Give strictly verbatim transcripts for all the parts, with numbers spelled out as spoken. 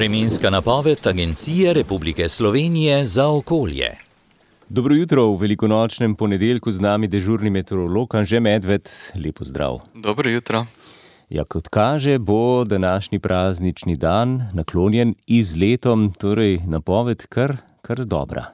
Vremenska napoved Agencije Republike Slovenije za okolje. Dobro jutro, v velikonočnem ponedeljku z nami dežurni meteorolog Anže Medved. Lepo zdrav. Dobro jutro. Ja, kot kaže, bo današnji praznični dan naklonjen izletom, torej napoved kar, kar dobra.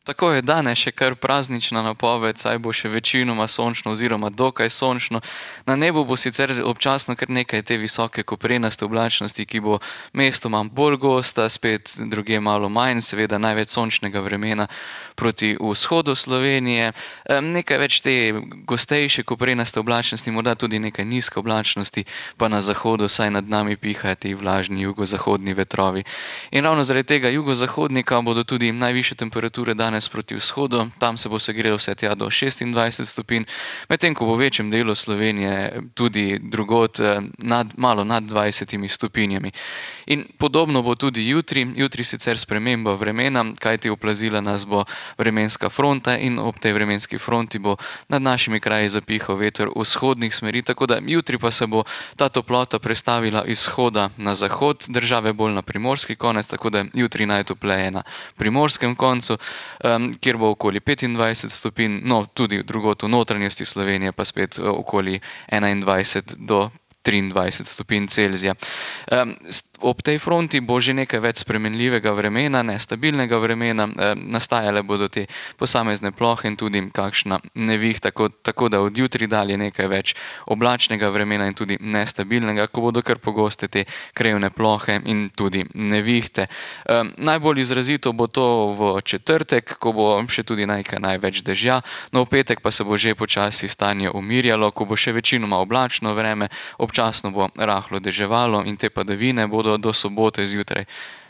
Tako je, danes še kar praznična napoved, saj bo še večinoma sončno oziroma dokaj sončno. Na nebu bo sicer občasno kar nekaj te visoke koprenaste oblačnosti, ki bo mestoma bolj gosta, spet drugje malo manj, seveda največ sončnega vremena proti vzhodu Slovenije. Nekaj več te gostejše koprenaste oblačnosti, morda tudi nekaj nizke oblačnosti, pa na zahodu, saj nad nami pihajo ti vlažni jugozahodni vetrovi. In ravno zaradi tega jugozahodnika bodo tudi najvišje temperature danes proti vzhodu, tam se bo segrelo vse tja do šestindvajset stopinj, medtem ko bo v večjem delu Slovenije tudi drugod nad, malo nad dvajsetimi stopinjami. In podobno bo tudi jutri, jutri sicer sprememba vremena, kajti oplazila nas bo vremenska fronta in ob tej vremenski fronti bo nad našimi kraji zapihal veter vzhodnih smeri, tako da jutri pa se bo ta toplota prestavila iz vzhoda na zahod države, bolj na primorski konec, tako da jutri najtopleje na primorskem koncu, Um, kjer bo okoli petindvajset stopinj, no tudi drugod v notranjosti Slovenije pa spet okoli enaindvajset do triindvajset stopinj Celzija. Um, ob tej fronti bo že nekaj več spremenljivega vremena, nestabilnega vremena, um, nastajale bodo te posamezne plohe in tudi kakšna nevih, tako, tako da od jutri dalje nekaj več oblačnega vremena in tudi nestabilnega, ko bodo kar pogoste te krajevne plohe in tudi nevihte. Um, najbolj izrazito bo to v četrtek, ko bo še tudi nekaj največ dežja, no v petek pa se bo že počasi stanje umirjalo, ko bo še večinoma oblačno vreme, občasno bo rahlo deževalo in te padavine bodo do sobote zjutraj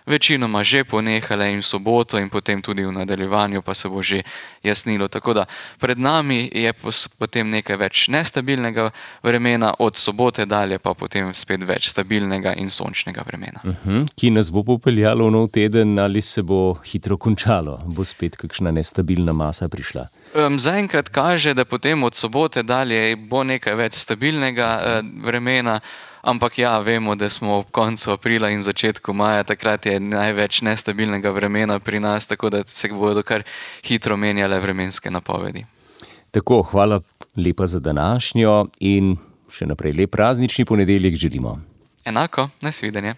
večinoma že ponehale in v soboto in potem tudi v nadaljevanju pa se bo že jasnilo. Tako da pred nami je potem nekaj več nestabilnega vremena, od sobote dalje pa potem spet več stabilnega in sončnega vremena. Uh-huh. Ki nas bo popeljalo v nov teden, ali se bo hitro končalo? Bo spet kakšna nestabilna masa prišla? Um, zaenkrat kaže, da potem od sobote dalje bo nekaj več stabilnega uh, vremena, ampak ja, vemo, da smo ob koncu aprila in začetku maja, takrat je največ nestabilnega vremena pri nas, tako da se bodo kar hitro menjale vremenske napovedi. Tako, hvala lepa za današnjo in še naprej lep praznični ponedeljek želimo. Enako, nasvidenje.